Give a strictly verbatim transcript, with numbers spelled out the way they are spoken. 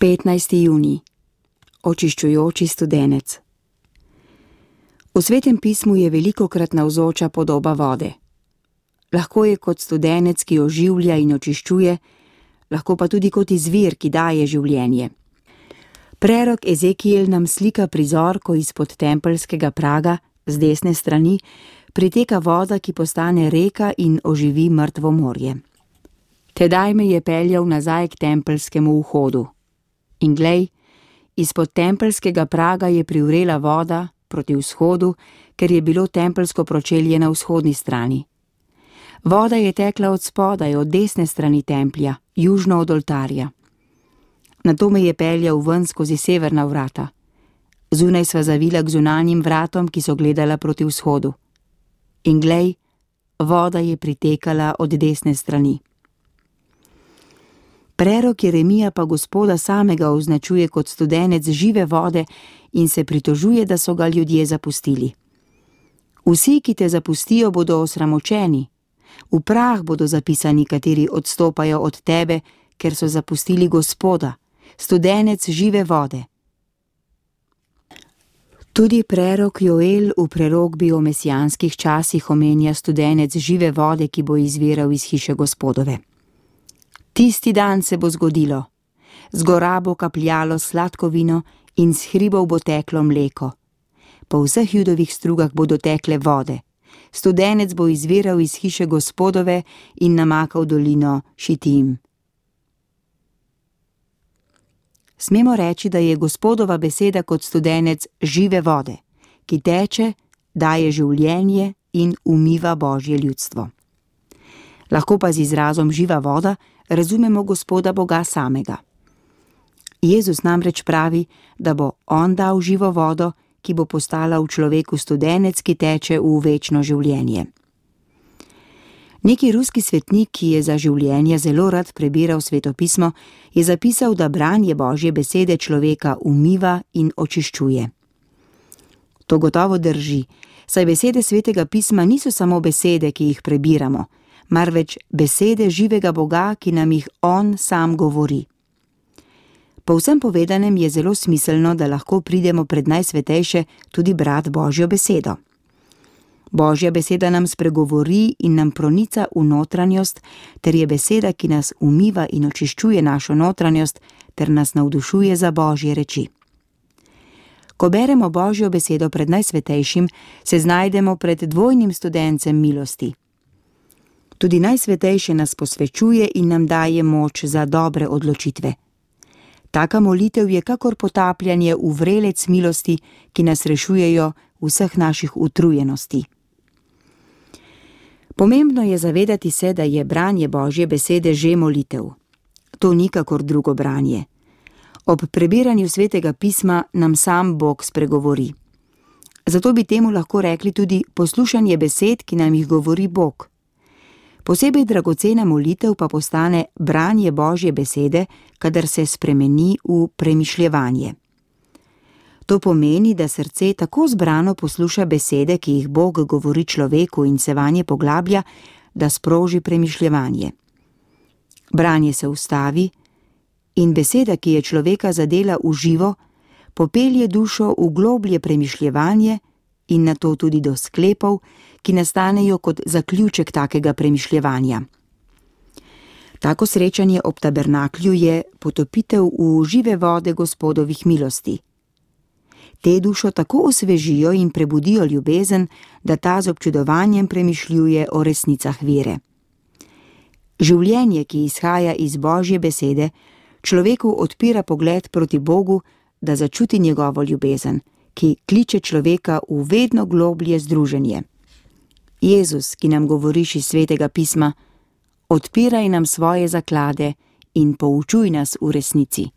petnajsti junij. Očiščujoči studenec. V Svetem pismu je velikokrat navzoča podoba vode. Lahko je kot studenec, ki oživlja in očiščuje, lahko pa tudi kot izvir, ki daje življenje. Prerok Ezekiel nam slika prizor, ko izpod tempeljskega praga, z desne strani, priteka voda, ki postane reka in oživi mrtvo morje. Tedaj me je peljal nazaj k tempeljskemu vhodu. In glej, izpod tempeljskega praga je privrela voda proti vzhodu, ker je bilo tempeljsko pročelje na vzhodni strani. Voda je tekla od spodaj, od desne strani templja, južno od oltarja. Nato me je peljal ven skozi severna vrata. Zunaj sva zavila k zunanjim vratom, ki so gledala proti vzhodu. In glej, voda je pritekala od desne strani. Prerok Jeremija pa Gospoda samega označuje kot studenec žive vode in se pritožuje, da so ga ljudje zapustili. Vsi, ki te zapustijo, bodo osramočeni. V prah bodo zapisani, kateri odstopajo od tebe, ker so zapustili Gospoda, studenec žive vode. Tudi prerok Joel v prerokbi o mesijanskih časih omenja studenec žive vode, ki bo izviral iz hiše Gospodove. Tisti dan se bo zgodilo. Z gora bo kapljalo sladko vino in s hribov bo teklo mleko. Po vseh judovih strugah bodo tekle vode. Studenec bo izviral iz hiše Gospodove in namakal dolino Šitim. Smemo reči, da je Gospodova beseda kot studenec žive vode, ki teče, daje življenje in umiva Božje ljudstvo. Lahko pa z izrazom živa voda razumemo Gospoda Boga samega. Jezus namreč pravi, da bo on dal živo vodo, ki bo postala v človeku studenec, ki teče v večno življenje. Neki ruski svetnik, ki je za življenje zelo rad prebiral svetopismo, je zapisal, da branje Božje besede človeka umiva in očiščuje. To gotovo drži, saj besede Svetega pisma niso samo besede, ki jih prebiramo, marveč besede živega Boga, ki nam jih on sam govori. Po vsem povedanem je zelo smiselno, da lahko pridemo pred najsvetejše tudi brat Božjo besedo. Božja beseda nam spregovori in nam pronica v notranjost, ter je beseda, ki nas umiva in očiščuje našo notranjost, ter nas navdušuje za Božje reči. Ko beremo Božjo besedo pred najsvetejšim, se znajdemo pred dvojnim studencem milosti. Tudi najsvetejše nas posvečuje in nam daje moč za dobre odločitve. Taka molitev je kakor potapljanje v vrelec milosti, ki nas rešujejo vseh naših utrujenosti. Pomembno je zavedati se, da je branje Božje besede že molitev. To ni kakor drugo branje. Ob prebiranju Svetega pisma nam sam Bog spregovori. Zato bi temu lahko rekli tudi poslušanje besed, ki nam jih govori Bog. Posebej dragocena molitev pa postane branje Božje besede, kadar se spremeni v premišljevanje. To pomeni, da srce tako zbrano posluša besede, ki jih Bog govori človeku in se vanje poglablja, da sproži premišljevanje. Branje se ustavi in beseda, ki je človeka zadela v živo, popelje dušo v globlje premišljevanje in nato tudi do sklepov, ki nastanejo kot zaključek takega premišljevanja. Tako srečanje ob tabernaklju je potopitev v žive vode Gospodovih milosti. Te dušo tako osvežijo in prebudijo ljubezen, da ta z občudovanjem premišljuje o resnicah vere. Življenje, ki izhaja iz Božje besede, človeku odpira pogled proti Bogu, da začuti njegovo ljubezen, ki kliče človeka v vedno globlje združenje. Jezus, ki nam govoriš iz Svetega pisma, odpiraj nam svoje zaklade in poučuj nas v resnici.